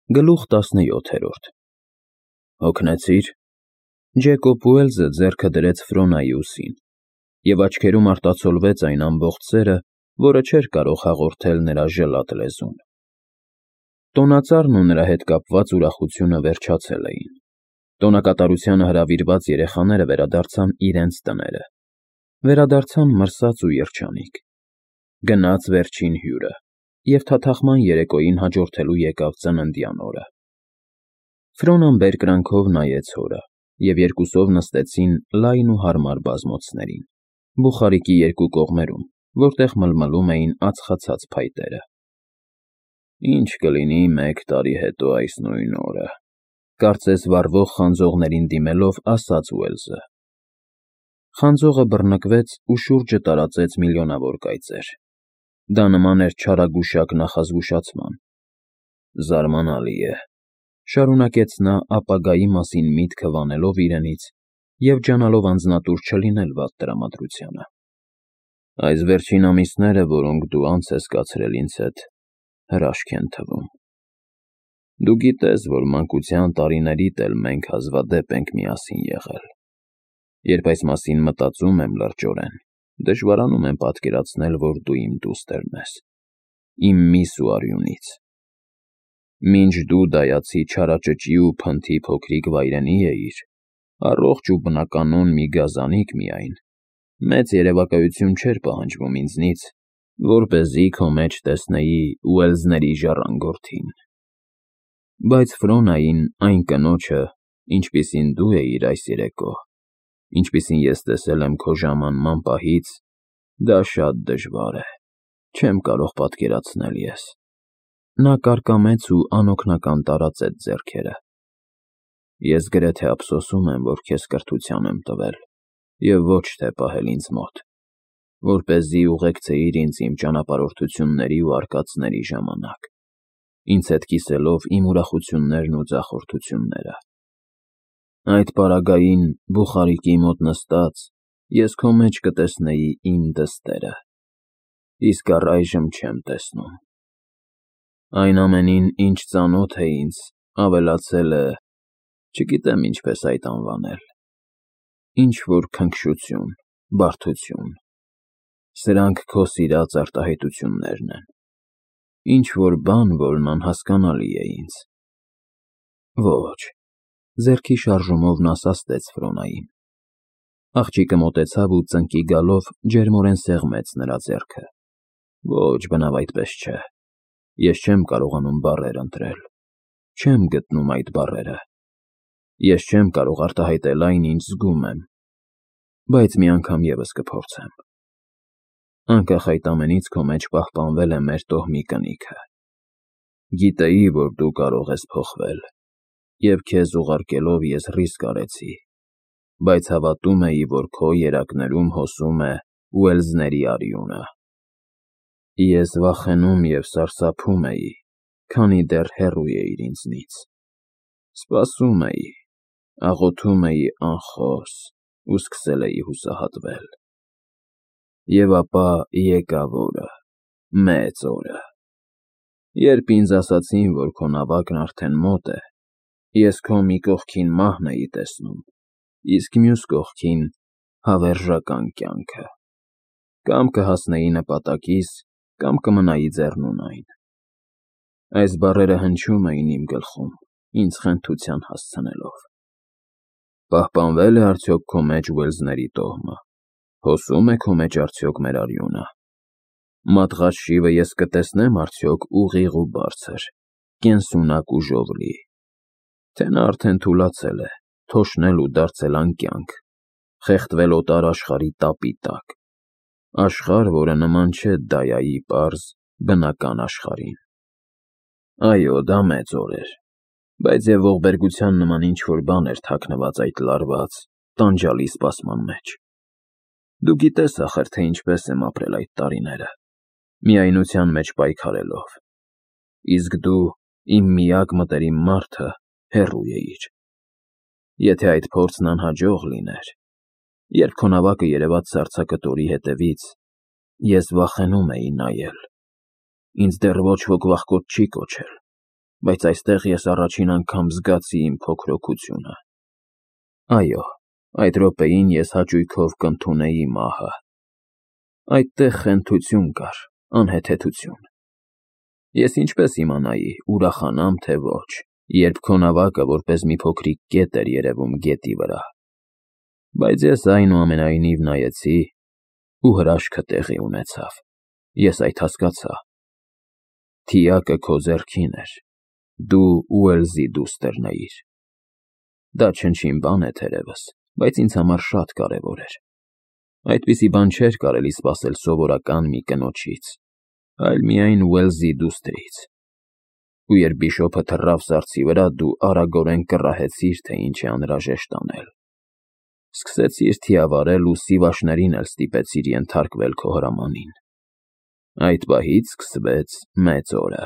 Գլուխ 17 Հոգնեցի՞ր։ Ջեկոբ Ուելզը ձեռքը դրեց Ֆրոնայի ուսին, և աչքերում արտացոլվեց այն ամբողջ սերը, որը չէր կարող հաղորդել նրա ժլատ լեզուն։ Տոնածառն ու նրա հետ կապված ուրախությունը վերջացել էին։ Տոնակատարությանը հրավիրված երեխաները վերադարձան իրենց տները, վերադարձան մրսած ու երջանիկ։ Գնաց վերջին հյուրը, և թաթախման երեկոյին հաջորդելու եկավ ծննդյան օրը։ Ֆրոնան բերկրանքով նայեց հորը, և երկուսով նստեցին լայն ու հարմար բազմոցներին, բուխարիկի երկու կողմերում, որտեղ մլմլում էին ածխացած փայտերը։ «Ինչ կլինի 1 տարի հետո այս նույն օրը», կարծես վառվող խանձողներին դիմելով ասաց Ուելզը։ Խանձողը բռնկվեց ու շուրջը տարածեց միլիոնավոր կայծեր։ Դա նման էր չարագուշակ նախազգուշացման։ «Զարմանալի է,֊ շարունակեց նա ապագայի մասին միտքը վանելով իրենից և ջանալով անձնատուր չլինել վատ տրամադրությանը,֊ այս վերջին ամիսները, որոնք դու անց ես կացրել ինձ հետ, հրաշք են թվում։ Դու գիտես, որ մանկության տարիներիդ էլ մենք հազվադեպ ենք միասին եղել։ Երբ այս մասին մտածում եմ լրջորեն, դժվարանում եմ պատկերացնել, որ դու իմ դուստրն ես, իմ միս ու արյունից։ Մինչ դու դայացի չարաճճի ու փնթի փոքրիկ վայրենի էիր, առողջ ու բնականոն մի գազանիկ միայն, մեծ երևակայություն չէր պահանջվում ինձնից, որպեսզի քո մեջ տեսնեի Ուելզների ժառանգորդին։ Բայց Ֆրոնային, այն կնոջը, ինչպիսին դու էիր այս երեկո, ինչպիսին ես տեսել եմ քո ժամանման պահից, դա շատ դժվար է, չեմ կարող պատկերացնել ես։ Նա կարկամեց ու անօգնական տարածեց ձեռքերը։ Ես գրեթե ափսոսում եմ, որ քեզ կրթության եմ տվել, և ոչ թե պահել ինձ մոտ, որպեսզի ուղեկցեիր ինձ իմ ճանապարհորդությունների ու արկածների ժամանակ, ինձ հետ կիսելով իմ ուրախություններն ու ձախորդությունները։ Այդ պարագային, բուխարիկի մոտ նստած, ես քո մեջ կտեսնեի իմ դստերը, իսկ առայժմ չեմ տեսնում։ Այն ամենին, ինչ ծանոթ է ինձ, ավելացել է, չգիտեմ ինչպես այդ անվանել, ինչ-որ քնքշություն, բարդություն։ Սրանք քո սիրած արտահայտություններն են, ինչ-որ բան, որն անհասկանալի է ինձ։ Ոչ, ձեռքի շարժումով նա սաստեց Ֆրոնային։ Աղջիկը մոտեցավ ու ծնկի գալով ջերմորեն սեղմեց նրա ձեռքը։ Ոչ, բնավ այդպես չէ։ Ես չեմ կարողանում բառեր ընտրել, չեմ գտնում այդ բառերը։ Ես չեմ կարող արտահայտել այն, ինչ զգում եմ, բայց մի անգամ ևս կփորձեմ։ Անկախ այդ ամենից քո մեջ պահպանվել է մեր տոհմի կնիքը։ Գիտեի, որ դու կարող ես փոխվել, և քեզ ուղարկելով ես ռիսկ արեցի, բայց հավատում էի, որ քո երակներում հոսում է Ուելզների արյունը։ Ես վախենում և սարսափում էի, քանի դեռ հեռու էիր ինձնից։ Սպասում էի, աղոթում էի անխոս ու սկսել էի հուսահատվել։ Եվ ապա եկավ օրը, մեծ օրը։ Երբ ինձ ասացին, որ քո նավակն արդեն մոտ է, ես քո մի կողքին մահն էի տեսնում, իսկ մյուս կողքին հավերժական կյանքը։ Կամ կհասնեի նպատակիս, կամ կմնայի ձեռնունայն։ Այս բառերը հնչում էին իմ գլխում, ինձ խենթության հասցնելով։ Պահպանվե՞լ է արդյոք քո մեջ Ուելզների տոհմը, հոսում է քո մեջ արդյոք մեր արյունը։ Մատղաշ շիվը ես կտեսնեմ արդյոք ուղիղ ու բարձր, կենսունակ ու ժողլի, թե նա արդեն թուլացել է, թոշնել ու դարձել անկյանք, խեղդվել օտար աշխարհի տապի տակ, աշխարհ, որը նման չէ Դայայի պարզ, բնական աշխարհին։ Այո, դա մեծ օր էր, բայց և ողբերգության նման ինչ-որ բան էր թաքնված այդ լարված, տանջալի սպասման մեջ։ Դու գիտես ախր, թե ինչպես եմ ապրել այդ տարիները, միայնության մեջ պայքարելով, իսկ դու, իմ միակ մտերիմ մարդը, հեռու էիր։ Եթե այդ փորձն անհաջող լիներ, երբ քո նավակը երևաց սառցակտորի հետևից, ես վախենում էի նայել։ Ինձ դեռ ոչ ոք վախկոտ չի կոչել, բայց այստեղ ես առաջին անգամ զգացի իմ փոքրոքությունը։ Այո, այդ րոպեին ես հաճույքով կընդունեի մահը։ Այդտեղ խենթություն կար, անհեթեթություն։ Ես ինչպես իմանայի, ուրախանամ թե ոչ, երբ քո նավակը որպես մի փոքրիկ կետ էր երևում գետի վրա։ Բայց ես այնուամենայնիվ նայեցի, ու հրաշքը տեղի ունեցավ։ Ես այդ հասկացա։ Թիակը քո ձեռքին էր, դու Ուելսի դուստրն էիր։ Դա չնչին բան է թերևս, բայց ինձ համար շատ կարևոր էր։ Այդպիսի բան չէր կարելի սպասել սովորական մի կնոջից, այլ միայն Ուելսի դուստրից։ Ու երբ բիշոպը թռավ սառցի վրա, դու արագորեն կռահեցիր, թե ինչ է անհրաժեշտ անել։ Սկսեցիր թիավարել ու սիվաշներին էլ ստիպեցիր ենթարկվել քո հրամանին։ Այդ պահից սկսվեց մեծ օրը։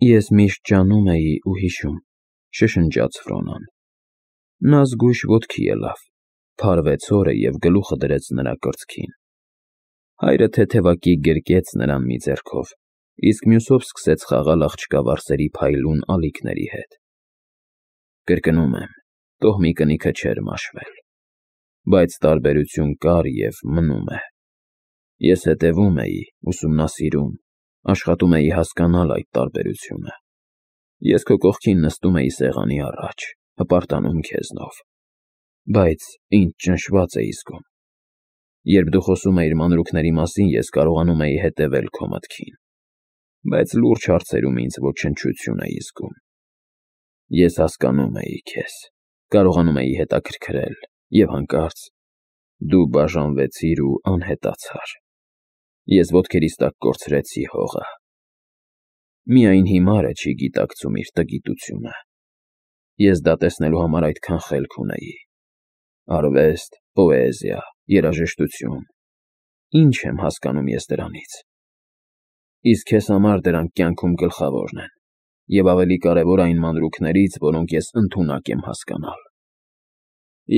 Ես միշտ ջանում էի ու հիշում, շշնջաց Ֆրոնան։ Նա զգույշ ոտքի ելավ, փարվեց հորը և գլուխը դրեց նրա կրծքին։ Հայրը թեթևակի գրկեց նրան մի ձեռքով, իսկ մյուսով սկսեց խաղալ աղջկա վարսերի փայլուն ալիքների հետ։ Կրկնում եմ, տոհմի կնիքը չէր մաշվել, բայց տարբերություն կար և մնում է։ Ես հետևում էի, ուսումնասիրում, աշխատում էի հասկանալ այդ տարբերությունը։ Ես քո կողքին նստում էի սեղանի առաջ, հպարտանում քեզնով, բայց ինձ ճնշված էի զգում։ Երբ դու խոսում էիր մանրուքների մասին, ես կարողանում էի հետևել քո մտքին, բայց լուրջ հարցերում ինձ ոչնչություն էի զգում։ Ես հասկանում էի քեզ, կարողանում էի հետաքրքրել, և հանկարծ դու բաժանվեցիր ու անհետացար։ Ես ոտքերիս տակ կորցրեցի հողը։ Միայն հիմարը չի գիտակցում իր տգիտությունը։ Ես դա տեսնելու համար այդքան խելք ունեի։ Արվեստ, պոեզիա, երաժշտություն։ Ինչ եմ հասկանում ես դրանից։ Իսկ քեզ համար դրանք կյանքում գլխավորն են, և ավելի կարևոր այն մանրուքներից, որոնք ես ընդունակ եմ հասկանալ։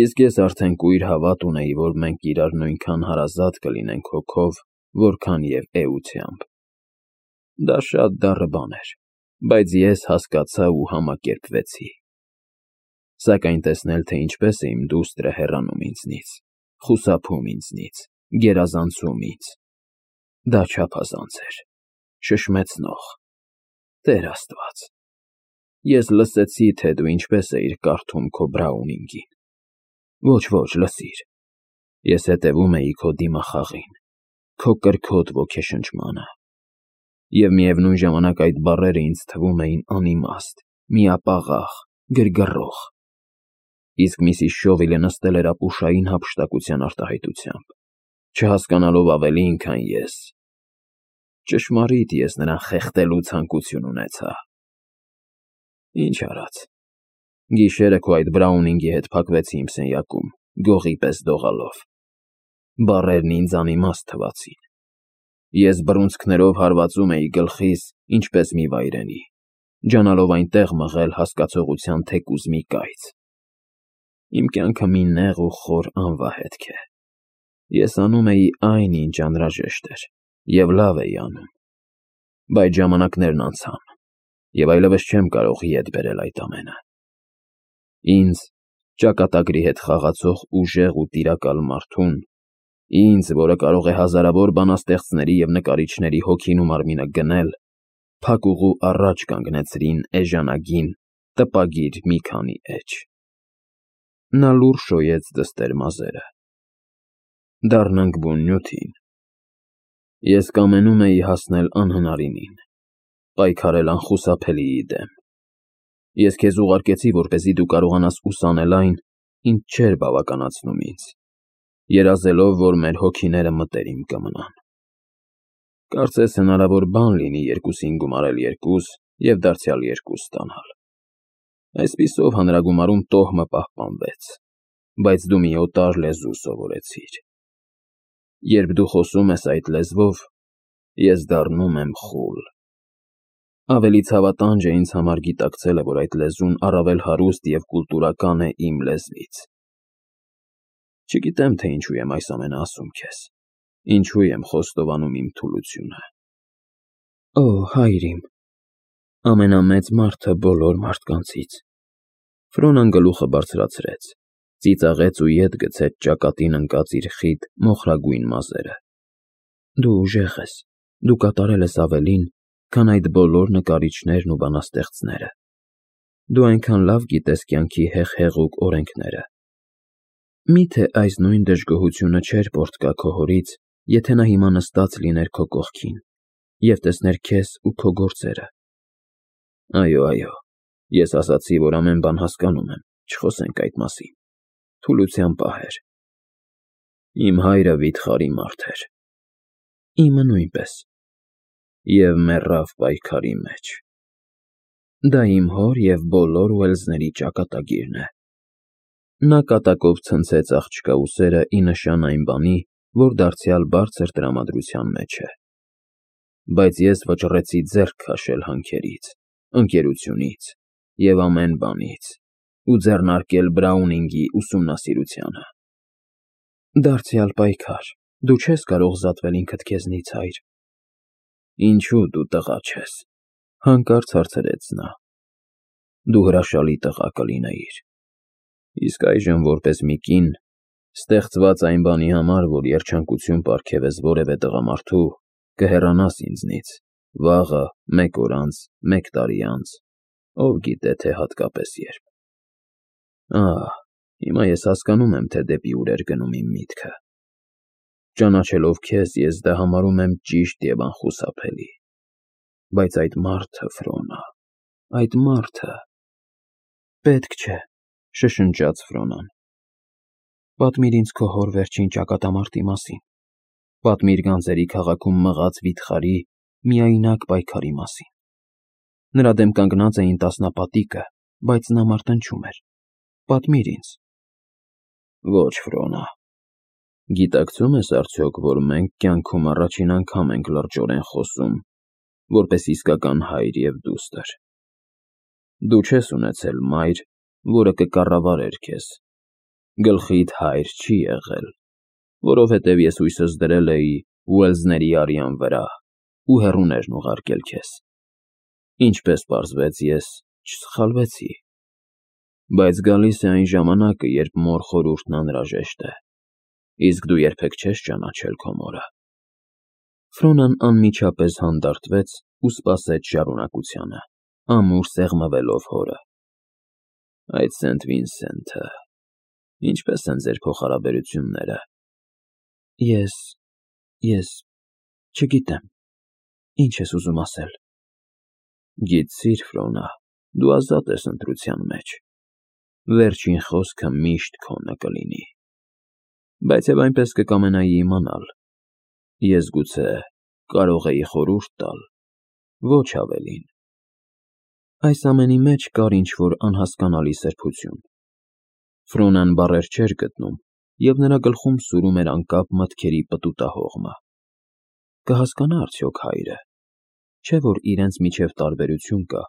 Իսկ ես արդեն կույր հավատ ունեի, որ մենք իրար նույնքան հարազատ կլինենք հոգով, որքան և էությամբ։ Դա շատ դառը բան էր, բայց ես հասկացա ու համակերպվեցի։ Սակայն տեսնել, թե ինչպես է իմ դուստրը հեռանում ինձնից, խուսափում ինձնից, գերազանցում ինձ, դա չափազանց էր, շշմեցնող։ Տեր Աստված, ես լսեցի, թե դու ինչպես էիր կարդում քո Բրաունինգին։ Ոչ, լսիր, ես հետևում էի քո դիմախաղին, քո կրքոտ ոգեշնչմանը։ Եվ միևնույն ժամանակ այդ բառերը ինձ թվում էին անիմաստ, միապաղաղ, գրգռող։ Իսկ Միսիս Շովիլը նստել էր ապուշային հափշտակության արտահայտությամբ, չհասկանալով ավելին, քան ես։ Ճշմարիտ ես նրան խեղդելու ցանկություն ունեցա։ Ինչ արած։ Գիշերը քո այդ Բրաունինգի հետ փակվեցի իմ սենյակում, գողի պես դողալով։ Բառերն ինձ անիմաստ թվացին։ Ես բռունցքներով հարվածում էի գլխիս, ինչպես մի վայրենի, ջանալով այնտեղ մղել հասկացողության թեկուզ մի կայծ։ Իմ կյանքը մի նեղ ու խոր անվահետք է։ Ես անում էի այն, ինչ անհրաժեշտ էր, և լավ էի անում։ Բայց ժամանակներն անցան, և այլևս չեմ կարող ետ բերել այդ ամենը։ Ինձ, ճակատագրի հետ խաղացող ուժեղ ու տիրակալ մարդուն, ինձ, որը կարող է հազարավոր բանաստեղծների և նկարիչների հոգին ու մարմինը գնել, փակուղու առաջ կանգնեցրին էժանագին, տպագիր մի քանի էջ։ Նա լուռ շոյեց դստեր մազերը։ Դառնանք բուն նյութին։ Ես կամենում էի հասնել անհնարինին, պայքարել անխուսափելիի դեմ։ Ես քեզ ուղարկեցի, որպեսզի դու կարողանաս ուսանել այն, ինչ չէր բավականացնում ինձ, երազելով, որ մեր հոգիները մտերիմ կմնան։ Կարծես հնարավոր բան լինի երկուսին գումարել երկուս և դարձյալ երկուս ստանալ։ Այսպիսով հանրագումարում տոհմը պահպանվեց, բայց դու մի օտար լեզու սովորեցիր։ Երբ դու խոսում ես այդ լեզվով, ես դառնում եմ խուլ։ Ավելի ցավատանջ է ինձ համար գիտակցելը, որ այդ լեզուն առավել հարուստ և կուլտուրական է իմ լեզվից։ Չգիտեմ, թե ինչու եմ այս ամենը ասում քեզ, ինչու եմ խոստովանում իմ թուլությունը։ Օ, հայր իմ, Ամենամեծ մարդը բոլոր մարդկանցից։ Ֆրոնան գլուխը բարձրացրեց, ծիծաղեց ու ետ գցեց ճակատին ընկած իր խիտ մոխրագույն մազերը։ Դու ուժեղ ես, դու կատարել ես ավելին, քան այդ բոլոր նկարիչներն ու բանաստեղծները։ Դու այնքան լավ գիտես կյանքի հեղուկ օրենքները։ Միթե այս նույն դժգոհությունը չէր պոռթկա քո հորից, եթե նա հիմա նստած լիներ քո կողքին և տեսներ քեզ ու քո գործերը։ Այո, ես ասացի, որ ամեն բան հասկանում եմ, չխոսենք այդ մասին։ Թուլության պահեր։ Իմ հայրը վիթխարի մարդ էր։ Իմը նույնպես։ Եվ մեռավ պայքարի մեջ։ Դա իմ հոր և բոլոր Ուելսների ճակատագիրն է։ Նա կատակով ցնցեց աղջկա ուսերը ի նշան այն բանի, որ դարձյալ բարձր տրամադրության մեջ է։ Բայց ես վճռեցի ձեռք քաշել հանքերից, ընկերությունից և ամեն բանից ու ձեռնարկել Բրաունինգի ուսումնասիրությանը։ Դարձյալ պայքար, դու չես կարող զատվել ինքդ քեզնից, հայր։ Ինչու դու տղա չես, հանկարծ հարցրեց նա։ Դու հրաշալի տղա կլինեիր։ Իսկ այժմ որպես մի կին, ստեղծված այն բանի համար, որ երջանկություն պարգևես որևէ տղամարդու, կհեռանաս ինձնից, վաղը, մեկ օր անց, մեկ տարի անց, ով գիտե, թե հատկապես երբ։ Հիմա ես հասկանում եմ, թե դեպի ուր էր գնում իմ միտքը։ Ճանաչելով քեզ, ես դա համարում եմ ճիշտ և անխուսափելի։ Բայց այդ մարդը, Ֆրոնա, այդ մարդը… Պետք չէ, շշնջաց Ֆրոնան։ Պատմիր ինձ քո հոր վերջին ճակատամարտի մասին։ Պատմիր գանձերի քաղաքում մղած վիթխարի, միայնակ պայքարի մասին։ Նրա դեմ կանգնած էին տասնապատիկը, բայց նա մարտնչում էր։ Պատմիր ինձ։ Ոչ, Ֆրոնա։ Գիտակցում ես արդյոք, որ մենք կյանքում առաջին անգամ ենք լրջորեն խոսում, որպես իսկական հայր և դուստր։ Դու չես ունեցել մայր, որը կկառավարեր քեզ։ Գլխիդ հայր չի եղել, որովհետև ես հույսս դրել էի Ուելսների արյան վրա ու հեռուներն ուղարկել քեզ։ Ինչպես պարզվեց, ես չսխալվեցի։ Բայց գալիս է այն ժամանակը, երբ մոր խորհուրդն անհրաժեշտ է։ Իսկ դու երբեք չես ճանաչել քո մորը։ Ֆրոնան անմիջապես հանդարտվեց ու սպասեց շարունակությանը, ամուր սեղմվելով հորը։ Այդ Սենթ Վինսենթը… Ինչպե՞ս են ձեր փոխհարաբերությունները։ Ես… չգիտեմ, ինչ ես ուզում ասել։ Գիտցիր, Ֆրոնա, դու ազատ ես ընտրության մեջ։ Վերջին խոսքը միշտ քոնը կլինի։ Բայց և այնպես կկամենայի իմանալ։ Ես գուցե կարող էի խորհուրդ տալ, ոչ ավելին։ Այս ամենի մեջ կար ինչ-որ անհասկանալի սրբություն։ Ֆրոնան բառեր չէր գտնում, և նրա գլխում սուրում էր անկապ մտքերի պտուտահողմը։ Կհասկանա՞ արդյոք հայրը։ Չէ՞ որ իրենց միջև տարբերություն կա,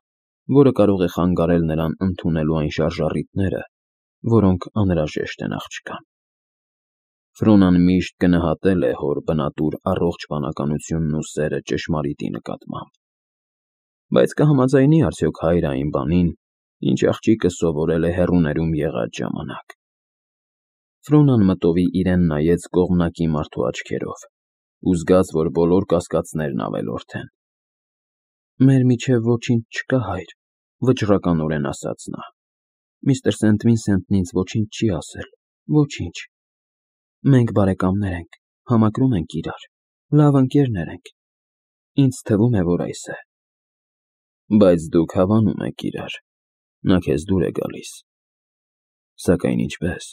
որը կարող է խանգարել նրան ընդունելու այն շարժառիթները, որոնք անհրաժեշտ են աղջկան։ Ֆրոնան միշտ գնահատել է հոր բնատուր առողջ բանականությունն ու սերը ճշմարիտի նկատմամբ։ Բայց կհամաձայնի՞ արդյոք հայրը այն բանին, ինչ աղջիկը սովորել է հեռուներում եղած ժամանակ։ Ֆրոնան մտովի իրեն նայեց կողմնակի մարդու աչքերով ու զգաց, որ բոլոր կասկածներն ավելորդ են։ Մեր միջև ոչինչ չկա, հայր, վճռականորեն ասաց նա։ Միստր Սենթ Վինսենթն ինձ ոչինչ չի ասել, ոչինչ։ Մենք բարեկամներ ենք, համակրում ենք իրար, լավ ընկերներ ենք։ Ինձ թվում է, որ այս է։ Բայց դուք հավանում եք իրար, նա քեզ դուր է գալիս։ Սակայն ինչպե՞ս։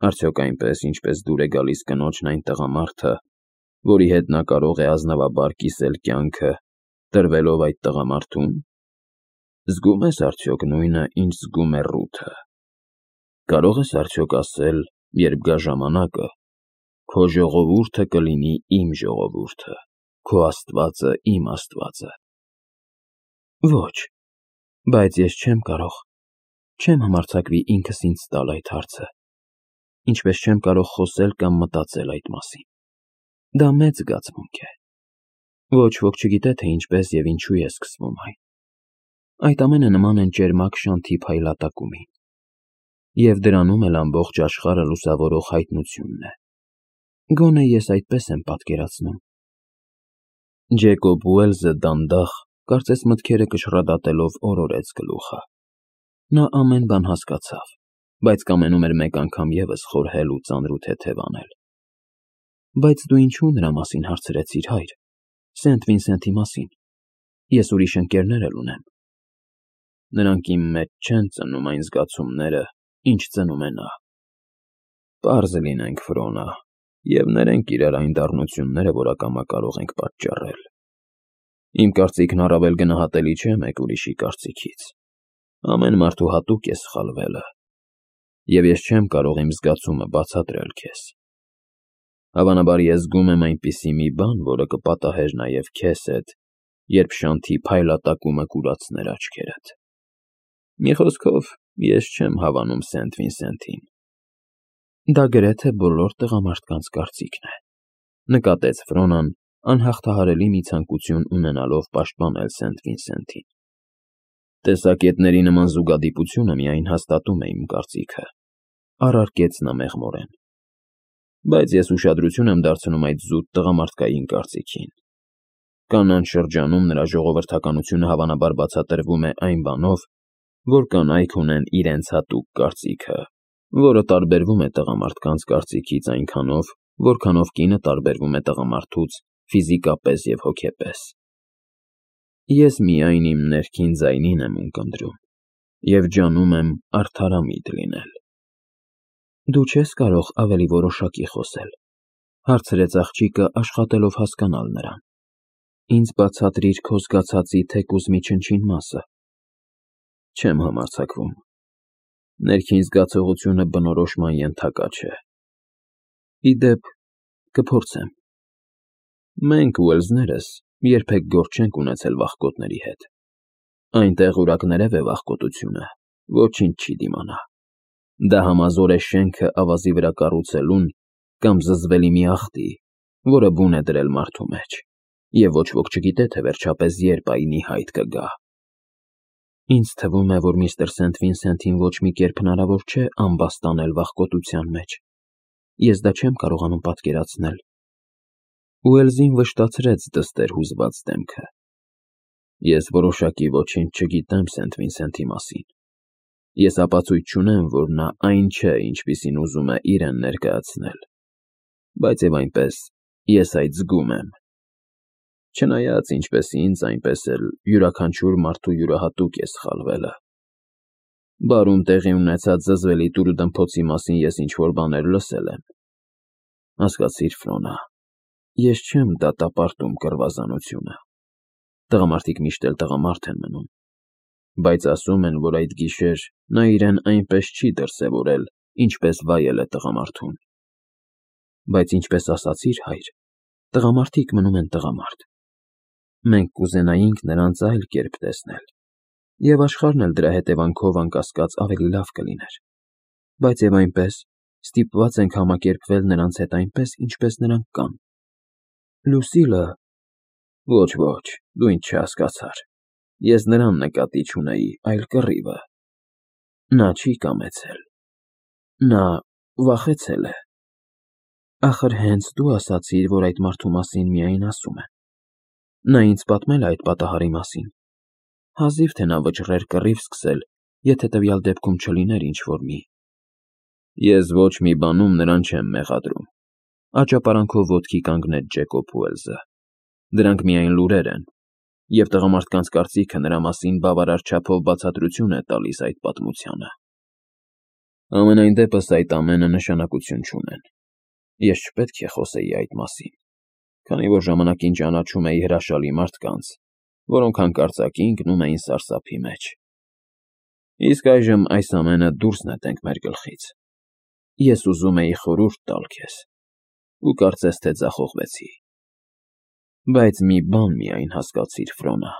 Արդյոք այնպես, ինչպես դուր է գալիս կնոջն այն տղամարդը, որի հետ նա կարող է ազնվաբար կիսել կյանքը, տրվելով այդ տղամարդուն։ Զգում ես արդյոք նույնը, ինչ զգում է Ռութը։ Կարող ես արդյոք ասել, երբ գա ժամանակը, քո ժողովուրդը կլինի իմ ժողովուրդը, քո Աստվածը իմ Աստվածը։ Ոչ, բայց ես չեմ կարող, չեմ համարձակվի ինքս ինձ տալ այդ հարցը, ինչպես չեմ կարող խոսել կամ մտածել այդ մասին։ Դա մեծ զգացմունք է։ Ոչ ոք չգիտե, թե ինչպես և ինչու է սկսվում այն։ այդ ամենը նման են ճերմակ շանթի փայլատակումին, և դրանում էլ ամբողջ աշխարհը լուսավորող հայտնությունն է։ Գոնե ես այդպես եմ պատկերացնում։ Ջեկոբ Ուելզը դանդաղ, կարծես մտքերը կշռադատելով օրորեց գլուխը։ Նա ամեն բան հասկացավ, բայց կամենում էր մեկ անգամ ևս խորհել ու ծանր ու թեթև անել։ Բայց դու ինչու նրա մասին հարցրեցիր, հայր։ Սենթ Վինսենթի մասին։ Ես ուրիշ ընկերներ էլ ունեմ։ Նրանք իմ մեջ չեն ծնում այն զգացումները, ինչ ծնում է նա։ Պարզ լինենք, Ֆրոնա, և ներենք իրար այն դառնությունները, որ ակամա կարող ենք պատճառել։ Իմ կարծիքն առավել գնահատելի չէ մեկ ուրիշի կարծիքից։ Ամեն մարդու հատուկ է սխալվելը, և ես չեմ կարող իմ զգացումը բացատրել քեզ։ Հավանաբար ես զգում եմ այնպիսի մի բան, որը կպատահեր նաև քեզ հետ, երբ շանթի փայլատակումը կուրացներ աչքերդ։ Մի խոսքով, ես չեմ հավանում Սենթ Վինսենթին։ Դա գրեթե բոլոր տղամարդկանց կարծիքն է, նկատեց Ֆրոնան, անհաղթահարելի մի ցանկություն ունենալով պաշտպանել Սենթ Վինսենթին։ Տեսակետների նման զուգադիպությունը միայն հաստատում է իմ կարծիքը, առարկեց նա մեղմորեն։ Բայց ես ուշադրություն եմ դարձնում այդ զուտ տղամարդկային կարծիքին։ Կանանց շրջանում նրա ժողովրդականությունը հավանաբար բացատրվում է այն բանով, որ կանայք ունեն իրենց հատուկ կարծիքը, որը տարբերվում է տղամարդկանց կարծիքից այնքանով, որքանով կինը տարբերվում է տղամարդուց ֆիզիկապես և հոգեպես։ Ես միայն իմ ներքին ձայնին եմ ունկնդրում և ջանում եմ արդարամիտ լինել։ Դու չես կարող ավելի որոշակի խոսել, հարցրեց աղջիկը, աշխատելով հասկանալ նրան։ Ինձ բացատրիր քո զգացածի թեկուզ մի չնչին մասը։ Չեմ համարձակվում։ Ներքին զգացողությունը բնորոշման ենթակա չէ։ Ի դեպ, կփորձեմ։ Մենք Ուելզներս երբեք գործ չենք ունեցել վախկոտների հետ։ Այնտեղ ուրակներև է վախկոտությունը, ոչինչ չի դիմանա։ Դա համազոր է շենքը ավազի վրա կառուցելուն կամ զզվելի մի աղտի, որը բուն է դրել մարդու մեջ, և ոչ ոք չգիտե, թե վերջապես երբ այն ի հայտ կգա։ Ինձ թվում է, որ միստր Սենթ Վինսենթին ոչ մի կերպ հնարավոր չէ ամբաստանել վախկոտության մեջ։ Ես դա չեմ կարողանում պատկերացնել։ Ուելզին վշտացրեց դստեր հուզված դեմքը։ Ես որոշակի ոչինչ չգիտեմ Սենթ Վինսենթի մասին։ Ես ապացույց չունեմ, որ նա այն չէ, ինչպիսին ուզում է իրեն ներկայացնել։ Բայց և այնպես, ես այդ զգում եմ։ Չնայած ինչպես ինձ, այնպես էլ յուրաքանչյուր մարդու յուրահատուկ է սխալվելը։ Բարում տեղի ունեցած զզվելի տուրուդմփոցի մասին ես ինչ-որ բաներ լսել եմ։ Հասկացիր, Ֆրոնա, ես չեմ դատապարտում կռվազանությունը։ Տղամարդիկ միշտ էլ տղամարդ են մնում։ Բայց ասում են, որ այդ գիշեր նա իրեն այնպես չի դրսևորել, ինչպես վայել է տղամարդուն։ Բայց ինչպես ասացիր, հայր, տղամարդիկ մնում են տղամարդ։ Մենք կուզենայինք նրանց այլ կերպ տեսնել, և աշխարհն էլ դրա հետևանքով անկասկած ավելի լավ կլիներ։ Բայց և այնպես, ստիպված ենք համակերպվել նրանց հետ այնպես, ինչպես նրանք կան։ Լուսիլը… Ոչ, դու ինձ չհասկացար։ Ես նրան նկատի չունեի, այլ կռիվը։ Նա չի կամեցել։ Նա վախեցել է։ Ախր հենց դու ասացիր, որ այդ մարդու մասին միայն ասում են։ Նա ինձ պատմել է այդ պատահարի մասին։ Հազիվ թե նա վճռեր կռիվ սկսել, եթե տվյալ դեպքում չլիներ ինչ-որ մի… Ես ոչ մի բանում նրան չեմ մեղադրում, աճապարանքով ոտքի կանգնեց Ջեկոբ Ուելզը։ Դրանք միայն լուրեր են, և տղամարդկանց կարծիքը նրա մասին բավարար չափով բացատրություն է տալիս այդ պատմությանը։ Համենայն դեպս այդ ամենը նշանակություն չունեն։ Ես չպետք է խոսեի այդ մասին, քանի որ ժամանակին ճանաչում էի հրաշալի մարդկանց, որոնք հանկարծակի ընկնում էին սարսափի մեջ։ Իսկ այժմ այս ամենը դուրս նետենք մեր գլխից։ Ես ուզում էի խորհուրդ տալ քեզ, ու կարծես թե ձախողվեցի։ Բայց մի բան միայն հասկացիր, Ֆրոնա,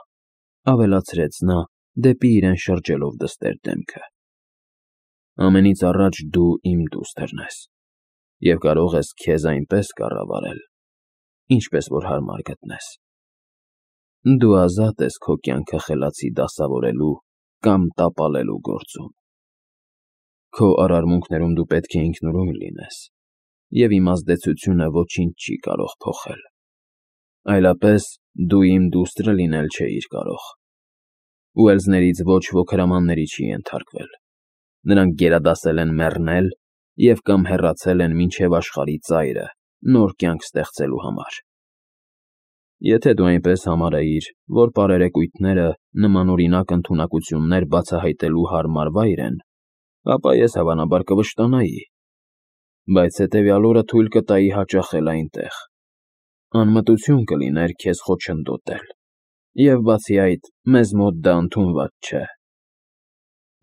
ավելացրեց նա, դեպի իրեն շրջելով դստեր դեմքը։ Ամենից առաջ դու իմ դուստրն ես, և կարող ես քեզ այնպես կառավարել, ինչպես որ հարմար գտնես։ Դու ազատ ես քո կյանքը խելացի դասավորելու կամ տապալելու գործում։ Քո արարմունքներում դու պետք է ինքնուրույն լինես, և իմաստեցությունը ոչինչ չի կարող փոխել։ Այլապես դու իմ դուստրը լինել չէիր կարող։ Ուելսներից ոչ ոք հրամանների չի ենթարկվել։ Նրանք գերադասել են մեռնել և կամ հեռացել են մինչև աշխարհի ծայրը նոր կյանք ստեղծելու համար։ Եթե դու այնպես համարեիր, որ պարերեկույթները նմանօրինակ ընդունակություններ բացահայտելու հարմար վայր են, ապա ես հավանաբար կվշտանայի, բայց հետևյալ օրը թույլ կտայի հաճախել այնտեղ։ Անմտություն կլիներ քեզ խոչընդոտել, և բացի այդ, մեզ մոտ դա ընդունված չէ։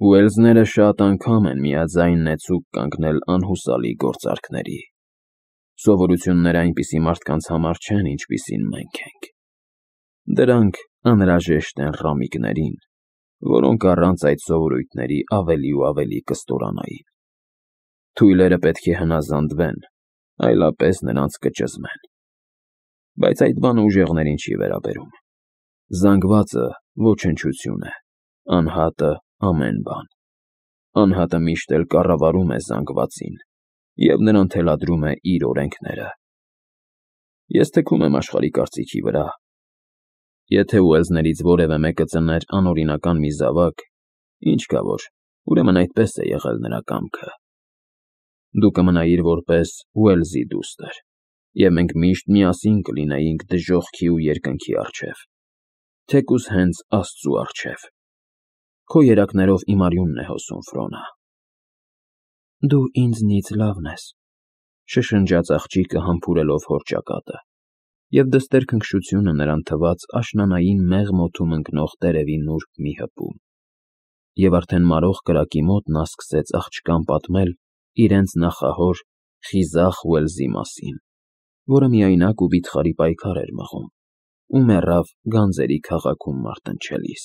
Ուելսները շատ անգամ են միաձայն նեցուկ կանգնել անհուսալի գործարքների։ Սովորությունները այնպիսի մարդկանց համար չեն, ինչպիսին մենք ենք։ Դրանք անհրաժեշտ են ռամիկներին, որոնք առանց այդ սովորույթների ավելի ու ավելի կստորանային։ Թույլերը պետք է հնազանդվեն, այլապես նրանց կճզմեն։ Բայց այդ բանը ուժեղներին չի վերաբերում։ Զանգվածը ոչնչություն է, անհատը ամեն բան։ Անհատը միշտ էլ կառավարում է զանգվածին և նրան թելադրում է իր օրենքները։ Ես թքում եմ աշխարհի կարծիքի վրա։ Եթե ուելսներից որևէ մեկը ծներ անօրինական մի զավակ, ինչ կա որ, ուրեմն այդպես է եղել նրա կամքը։ Դու կմնայիր որպես Ուելսի դուստր, և մենք միշտ միասին կլինեինք դժոխքի ու երկնքի առջև, թեկուզ հենց Աստծու առջև։ Քո երակներով իմ արյունն է հոսում, Ֆրոնա։ Դու ինձնից լավն ես, շշնջաց աղջիկը համբուրելով հոր ճակատը, և դստեր քնքշությունը նրան թվաց աշնանային մեղմ օդում ընկնող տերևի նուրբ մի հպում։ Եվ արդեն մարող կրակի մոտ նա սկսեց աղջկան պատմել իրենց նախահոր խիզախ Ուելսի մասին, որը միայնակ ու վիթխարի պայքար էր մղում ու մեռավ գանձերի քաղաքում մարտնչելիս։